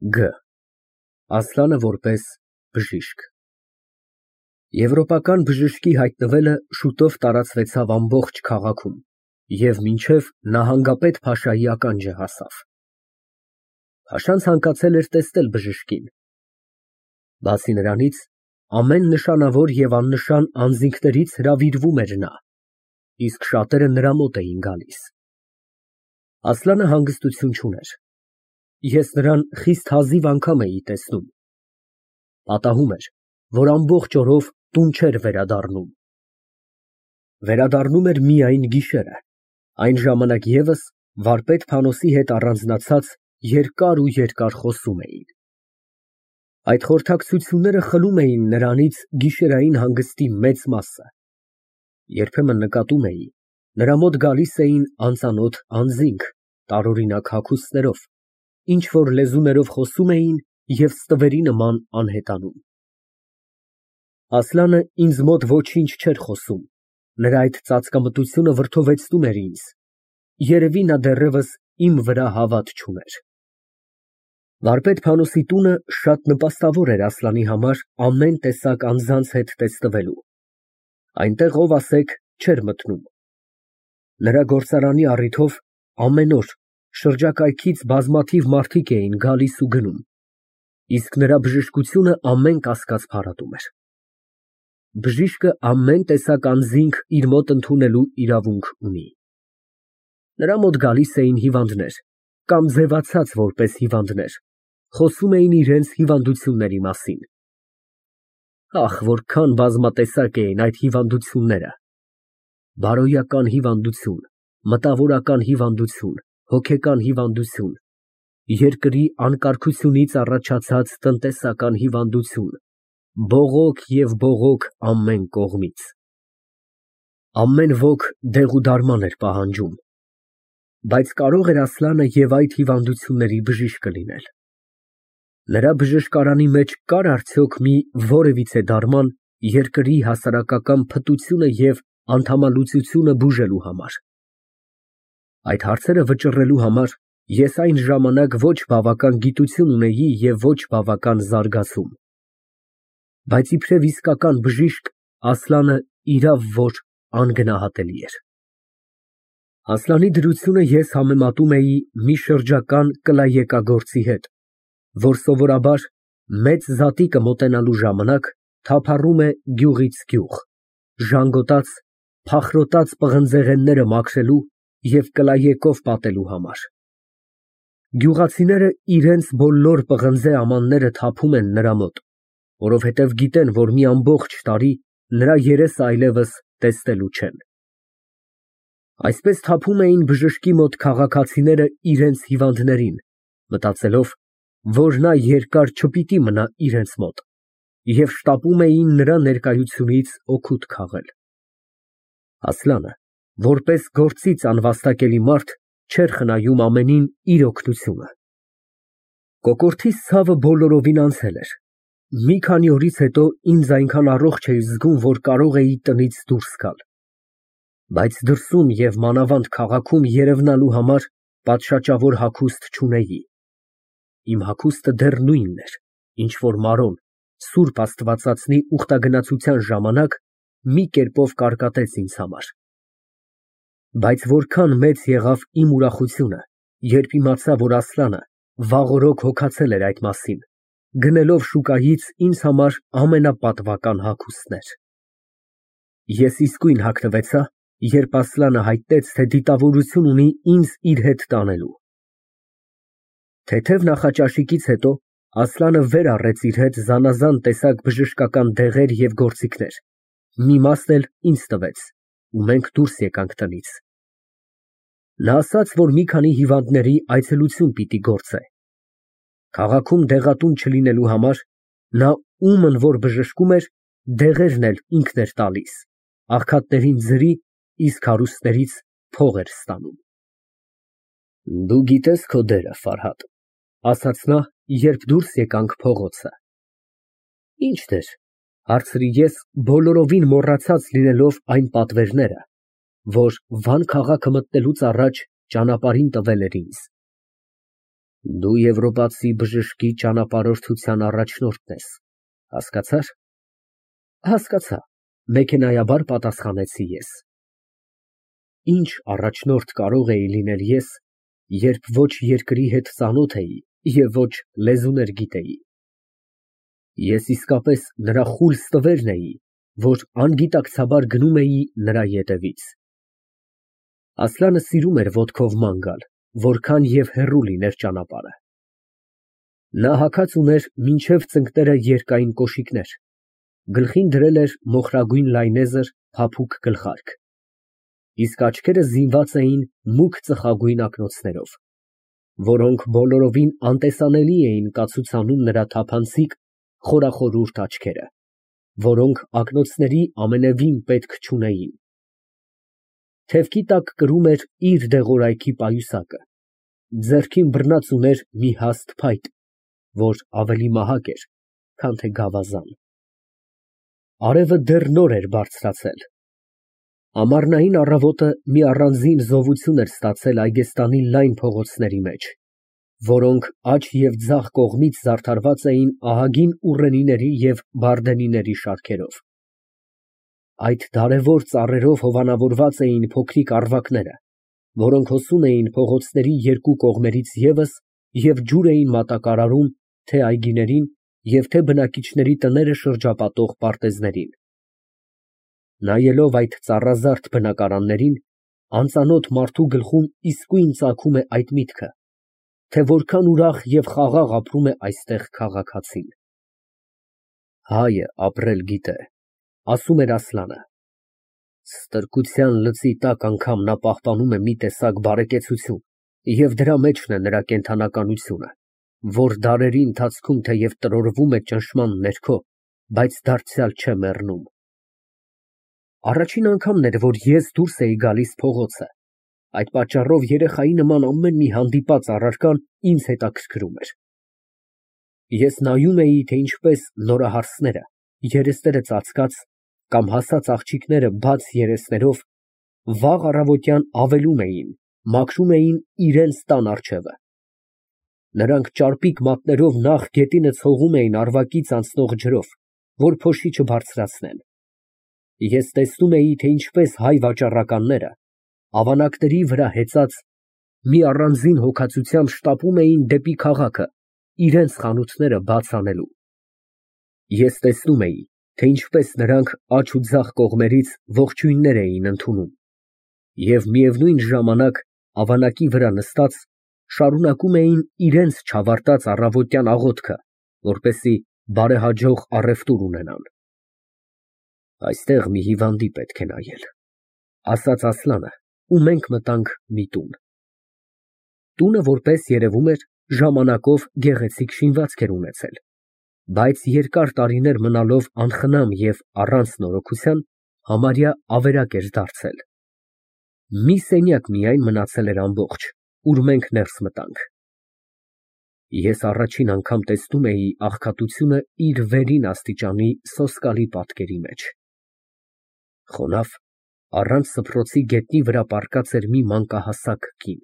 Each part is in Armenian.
Գ. Ասլանը որպես բժիշկ։ Եվրոպական բժշկի հայտնվելը շուտով տարածվեցավ ամբողջ քաղաքում և մինչև նահանգապետ փաշայի ականջը հասավ։ Փաշան ցանկացել էր տեսնել բժշկին։ Բացի նրանից, ամեն նշանավոր և աննշան անձինքներից հրավիրվում էր նա, իսկ շատերը նրա մոտ էին գալիս։ Ասլանը հանգստություն չուներ։ Ես նրան խիստ հազիվ անգամ էի տեսնում։ Պատահում էր, որ ամբողջ օրով տուն չէր վերադառնում։ Վերադառնում էր միայն գիշերը, այն ժամանակ ևս վարպետ Փանոսի հետ առանձնացած երկար խոսում էին։ Այդ խորհրդակցությունները խլում էին նրանից գիշերային հանգստի մեծ մասը։ Երբեմն նկատում էի, նրա մոտ գալիս էին անծանոթ անձինք տարօրինակ հագուստներով, ինչ֊որ լեզուներով խոսում էին և ստվերի նման անհետանում։ Ասլանը ինձ մոտ ոչինչ չէր խոսում, նրա այդ ծածկամտությունը վրդովեցնում էր ինձ, երևի նա դեռևս իմ վրա հավատ չուներ։ Վարպետ Փանոսի տունը շատ նպաստավոր էր Ասլանի համար ամեն տեսակ անձանց հետ տեսնվելու, այնտեղ ով ասեք չէր մտնում։ Նրա գործարանի առիթով ամեն օր շրջակայքից բազմաթիվ մարդիկ էին գալիս ու գնում, իսկ նրա բժշկությունը ամեն կասկած փարատում էր։ Բժիշկը ամեն տեսակ անձինք իր մոտ ընդունելու իրավունք ունի։ Նրա մոտ գալիս էին հիվանդներ կամ ձևացած որպես հիվանդներ, խոսում էին իրենց հիվանդությունների մասին։ Ահ, որքան բազմատեսակ էին այդ հիվանդությունները. բարոյական հիվանդություն, մտավորական հիվանդություն, հոգեկան հիվանդություն, երկրի անկարգությունից առաջացած տնտեսական հիվանդություն, բողոք և բողոք ամեն կողմից։ Ամեն ոք դեղուդարման էր պահանջում, բայց կարող էր Ասլանը և այդ հիվանդությունների բժիշկը լինել։ Նրա բժշկարանի մեջ կար արդյոք մի որևիցե դարման երկրի հասարակական փտությունը և անդամալուծությունը բուժելու համար։ Այդ հարցերը վճռելու համար ես այն ժամանակ ոչ բավական գիտություն ունեի և ոչ բավական զարգացում։ Բայց իբրև իսկական բժիշկ Ասլանը իրավ որ անգնահատելի էր։ Ասլանի դրությունը ես համեմատում էի մի շրջական կլայեկագործի հետ, որ սովորաբար մեծ զատիկը մոտենալու ժամանակ թափառում է գյուղից գյուղ, ժանգոտած, փախրոտած պղնձեղենները մաքրելու և կլայեկով պատելու համար։ Գյուղացիները իրենց բոլոր պղնձե ամանները թափում են նրա մոտ, որովհետև գիտեն, որ մի ամբողջ տարի նրա երեսը այլևս տեսնելու չեն։ Այսպես թափում էին բժշկի մոտ քաղաքացիները իրենց հիվանդներին, մտածելով, որ նա երկար չպիտի մնա իրենց մոտ, և շտապում էին նրա ներկայությունից օգուտ քաղել։ Ասլանը, որպես գործից անվաստակելի մարդ, չէր խնայում ամենին իր օգնությունը։ Կոկորդիս ցավը բոլորովին անցել էր։ Մի քանի օրից հետո ինձ այնքան առողջ էի զգում, որ կարող էի տնից դուրս գալ։ Բայց դրսում և մանավանդ քաղաքում երևնալու համար պատշաճավոր հագուստ չունեի։ Իմ հագուստը դեռ նույնն էր, ինչ որ Մարոն Սուրբ Աստվածածնի ուխտագնացության ժամանակ մի կերպով կարկատեց ինձ համար։ Բայց որքան մեծ եղավ իմ ուրախությունը, երբ իմացա, որ Ասլանը վաղօրոք հոգացել էր այդ մասին, գնելով շուկայից ինձ համար ամենապատվական հագուստներ։ Ես իսկույն հագնվեցա, երբ Ասլանը հայտնեց, թե դիտավորություն ունի ինձ իր հետ տանելու։ Թեթև նախաճաշիկից հետո Ասլանը վեր առեց իր հետ զանազան տեսակ բժշկական դեղեր և գործիքներ, մի մասն էլ ինձ տվեց, ու մենք դուրս եկանք տնից։ Նա ասաց, որ մի քանի հիվանդների այցելություն պիտի գործե։ Քաղաքում դեղատուն չլինելու համար նա ումն որ բժշկում էր, դեղերն էլ ինքն էր տալիս, աղքատներին ձրի, իսկ հարուստներից փող էր ստանում։ Դու գիտես քո դերը, Ֆարհադ, ասաց նա, երբ դուրս եկանք փողոցը։ Ինչ դեր, հարցրի ես, բոլորովին մոռացած լինելով այն պատվերները, որ Վան քաղաքը մտնելուց առաջ ճանապարհին տվել էր ինձ։ Դու եվրոպացի բժշկի ճանապարհորդության առաջնորդն ես, հասկացա՞ր։ Հասկացա, մեքենայաբար պատասխանեցի ես։ Ինչ առաջնորդ կարող էի լինել ես, երբ ոչ երկրի հետ ծանոթ էի և ոչ լեզուներ գիտեի։ Ես իսկապես նրա խուլ ստվերն էի, որ անգիտակցաբար գնում էի նրա ետևից։ Ասլանը սիրում էր ոտքով ման գալ, որքան և հեռու լիներ ճանապարհը։ Նա հագած ուներ մինչև ծնկները երկայն կոշիկներ, գլխին դրել էր մոխրագույն լայնեզր փափուկ գլխարկ, իսկ աչքերը զինված էին մուգ ծխագույն ակնոցներով, որոնք բոլորովին անտեսանելի էին կացուցանում նրա թափանցիկ, խորախորուրդ աչքերը, որոնք ակնոցների ամենևին պետք չունեին։ Թևքի տակ կրում էր իր դեղորայքի պայուսակը, ձեռքին բռնած ուներ մի հաստ փայտ, որ ավելի մահակ էր, քան թե գավազան։ Արևը դեռ նոր էր բարձրացել։ Ամառնային առավոտը մի առանձին զովություն էր ստացել Այգեստանի լայն փողոցների մեջ, որոնք աջ և ձախ կողմից զարդարված էին ահագին ուռենիների և բարդենիների շարքերով։ Այդ դարևոր ծառերով հովանավորված էին փոքրիկ առվակները, որոնք հոսում էին փողոցների երկու կողմերից ևս և ջուր էին մատակարարում թե այգիներին և թե բնակիչների տները շրջապատող պարտեզներին։ Նայելով այդ ծառազարդ բնակարաններին, անծանոթ մարդու գլխում իսկույն ծագում է այդ միտքը, թե որքան ուրախ և խաղաղ ապրում է այստեղ քաղաքացին։ Հայը ապրել գիտե, ասում էր Ասլանը։ Ստրկության լծի տակ անգամ նա պահպանում է մի տեսակ բարեկեցություն, և դրա մեջն է նրա կենդանականությունը, որ դարերի ընթացքում թեև տրորվում է ճնշման ներքո, բայց դարձյալ չէ մեռնում։ Առաջին անգամն էր, որ ես դուրս էի գալիս փողոցը, այդ պատճառով երեխայի նման ամեն մի հանդիպած առարկան ինձ հետաքրքրում էր։ Ես նայում էի, թե ինչպես նորահարսները, երեսները ծածկած կամ հասած աղջիկները բաց երեսներով, վաղ առավոտյան ավելում էին, մաքրում էին իրենց տան առջևը։ Նրանք ճարպիկ մատներով նախ գետինը ցողում էին առվակից անցնող ջրով, որ փոշի չբարձրացնեն։ Ես տեսնում էի, թե ինչպես հայ վաճառականները, ավանակների վրա հեծած, մի առանձին հոգացությամբ շտապում էին դեպի քաղաքը, իրենց խանութները բաց անելու։ Ես տեսնում էի, թե ինչպես նրանք աջ ու ձախ կողմերից ողջույններ էին ընդունում և միևնույն ժամանակ, ավանակի վրա նստած, շարունակում էին իրենց չավարտած առավոտյան աղոթքը, որպեսզի բարեհաջող առևտուր ունենան։ Այստեղ մի հիվանդի պետք է նայել, ասաց Ասլանը, ու մենք մտանք մի տուն։ Տունը, որպես երևում էր, ժամանակով գեղեցիկ շինվածք էր ունեցել, բայց երկար տարիներ մնալով անխնամ և առանց նորոգության, համարյա ավերակ էր դարձել։ Մի սենյակ միայն մնացել էր ամբողջ, ուր մենք ներս մտանք։ Ես առաջին անգամ տեսնում էի աղքատությունը իր վերին աստիճանի սոսկալի պատկերի մեջ։ Խոնավ, առանց սփռոցի գետնի վրա պառկած էր մի մանկահասակ կին։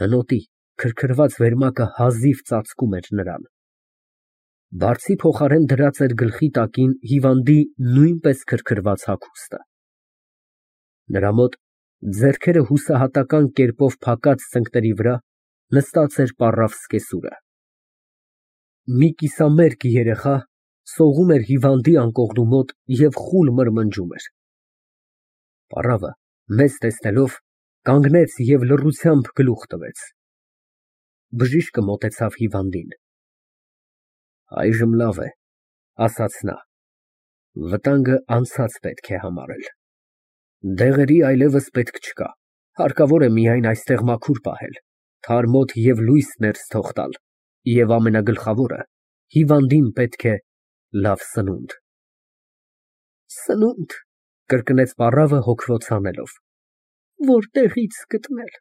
Հնոտի, քրքրված վերմակը հազիվ ծածկում էր նրան։ Բարձի փոխարեն դրած էր գլխի տակին հիվանդի նույնպես քրքրված հագուստը։ Նրա մոտ, ձեռքերը հուսահատական կերպով փակած ծնկների վրա, նստած էր պառավ սկեսուրը։ Մի կիսամերկ երեխա սողում էր հիվանդի անկողնու մոտ և խուլ մրմնջում էր։ Պառավը, մեզ տեսնելով, կանգնեց և լռությամբ գլուխ տվեց։ Բժիշկը մոտեցավ հիվանդին։ Այժմ լավ է, ասաց նա, վտանգը անցած պետք է համարել։ Դեղերի այլևս պետք չկա, հարկավոր է միայն այստեղ մաքուր պահել, թարմոտ և լույս ներս թող տալ, և ամենագլխավորը, հիվանդին պետք է լավ սնունդ։ Սնունդ, կրկնեց պառավը հոգվոց հանելով, որտեղի՞ց գտնել։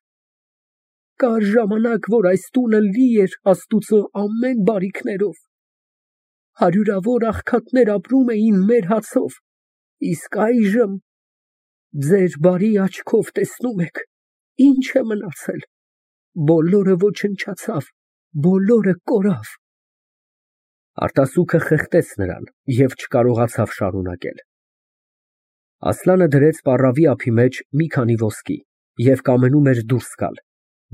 Կար ժամանակ, որ այս տունը լի էր Աստուծո ամեն բարիքներով, հարյուրավոր աղքատներ ապրում էին մեր հացով, իսկ այժմ, ձեր բարի աչքով տեսնում եք, ինչ է մնացել։ բոլորը ոչնչացավ, բոլորը կորավ։ Արտասուքը խեղդեց նրան և չկարողացավ շարունակել։ Ասլանը դրեց պառավի ափի մեջ մի քանի ոսկի և կամենում էր դուրս գալ,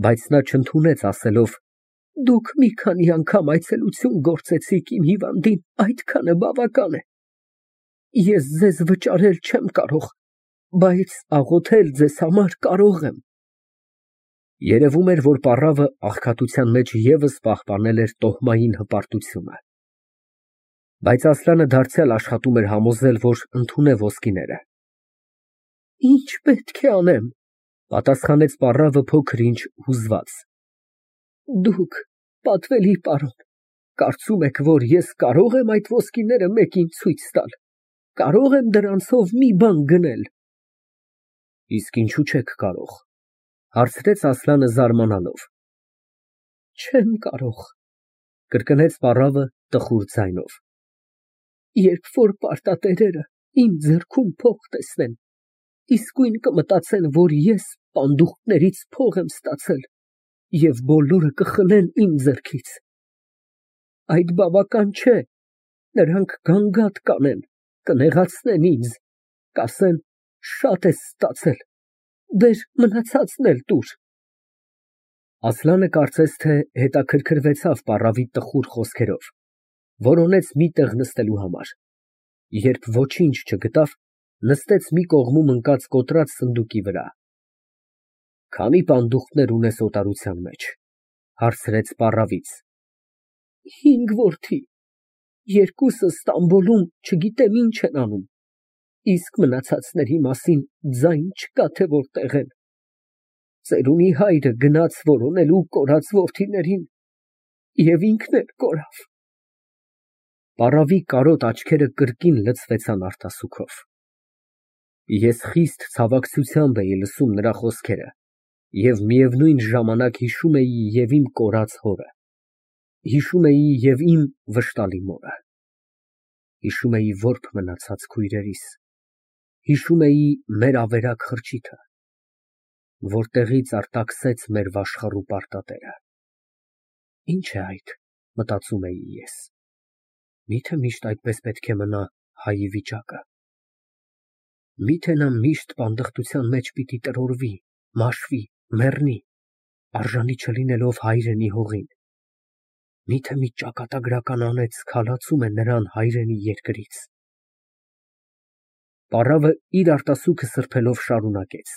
բայց նա չընդունեց, ասելով. Դուք մի քանի անգամ այցելություն գործեցիք իմ հիվանդին, այդքանը բավական է։ Ես ձեզ վճարել չեմ կարող, բայց աղոթել ձեզ համար կարող եմ։ Երևում էր, որ պառավը աղքատության մեջ ևս պահպանել էր տոհմային հպարտությունը։ Բայց Ասլանը դարձյալ աշխատում էր համոզել, որ ընդունե ոսկիները։ Ինչ պետք է անեմ, պատասխանեց պառավը փոքր-ինչ հուզված։ Դուք, պատվելի պարոն, կարծում եք, որ ես կարող եմ այդ ոսկիները մեկին ցույց տալ, կարող եմ դրանցով մի բան գնել։ Իսկ ինչու չեք կարող, հարցրեց Ասլանը զարմանալով։ Չեմ կարող, կրկնեց պառավը տխուր ձայնով։ Երբ որ պարտատերերը իմ ձեռքում փող տեսնեն, իսկույն կմտածեն, որ ես պանդուխտներից փող եմ ստացել և բոլորը կխլեն իմ ձեռքից։ Այդ բավական չէ, նրանք գանգատ կանեն, կնեղացնեն ինձ, կասեն շատ ես ստացել, բեր մնացածն էլ տուր։ Ասլանը կարծես թե հետաքրքրվեցավ պառավի տխուր խոսքերով, որոնեց մի տեղ նստելու համար։ Երբ ոչինչ չգտավ, նստեց մի կողմում ընկած կոտրած սնդուկի վրա։ Քանի պանդուխտներ ունես օտարության մեջ, հարցրեց պառավից։ 5 որդի, երկուսը Ստամբոլում չգիտեմ ինչ են անում, իսկ մնացածների մասին ձայն չկա, թե որտեղ են։ Ծերունի հայրը գնաց որոնելու կորած որդիներին և ինքն էլ կորավ։ Պառավի կարոտ աչքերը կրկին լցվեցան արտասուքով։ Ես խիստ ցավակցությամբ էի լսում նրա խոսքերը և միևնույն ժամանակ հիշում էի և իմ կորած հորը, հիշում էի և իմ վշտալի մորը, հիշում էի որբ մնացած քույրերիս, հիշում էի մեր ավերակ խրճիթը, որտեղից արտաքսեց մեր վաշխառու պարտատերը։ Ինչ է այդ, մտածում էի ես, միթե միշտ այդպես պետք է մնա հայի վիճակը։ Միթե նա միշտ պանդխտության մեջ պիտի տրորվի, մաշվի, մեռնի, արժանի չլինելով հայրենի հողին։ Միթե մի ճակատագրական անեծ քալացում է նրան հայրենի երկրից։ Պառավը իր արտասուքը սրբելով շարունակեց.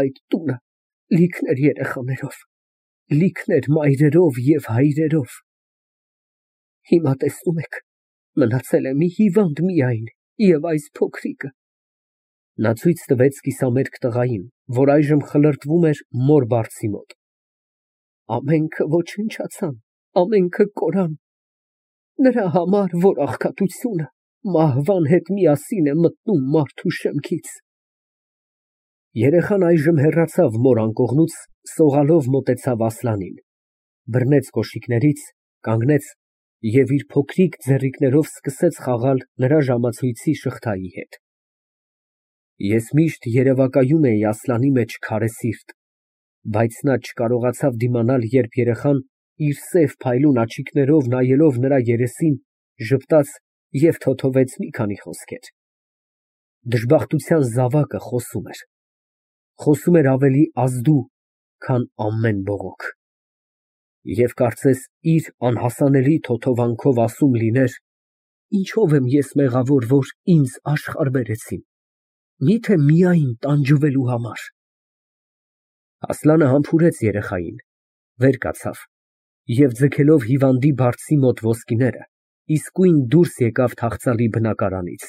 Այդ տունը լիքն էր երեխաներով, լիքն էր մայրերով և հայրերով։ Հիմա տեսնում եք, մնացել է մի հիվանդ միայն և այս փոքրիկը։ Նա ցույց տվեց կիսամերկ տղային, որ այժմ խլրտվում էր մոր բարձի մոտ։ Ամենքը ոչնչացան, ամենքը կորան։ Նրա համար, որ աղքատությունը մահվան հետ միասին է մտնում մարդու շեմքից։ Երեխան այժմ հեռացավ մոր անկողնուց, սողալով մոտեցավ Ասլանին, բռնեց կոշիկներից, կանգնեց և իր փոքրիկ ձեռիկներով սկսեց խաղալ նրա ժամացույցի շղթայի հետ։ Ես միշտ երևակայում էի Ասլանի մեջ քարե սիրտ, բայց նա չկարողացավ դիմանալ, երբ երեխան իր սև փայլուն աչիկներով նայելով նրա երեսին, ժպտաց և թոթվեց մի քանի խոսքեր։ Դժբախտության զավակը խոսում էր ավելի ազդու, քան ամեն բողոք։ Եվ կարծես իր անհասանելի թոթովանքով ասում լիներ. ինչով եմ ես մեղավոր, որ ինձ աշխարհ բերեցին, միթե միայն տանջվելու համար։ Ասլանը համբուրեց երեխային, վեր կացավ և ձգելով հիվանդի բարձի մոտ ոսկիները, իսկույն դուրս եկավ թախծալի բնակարանից։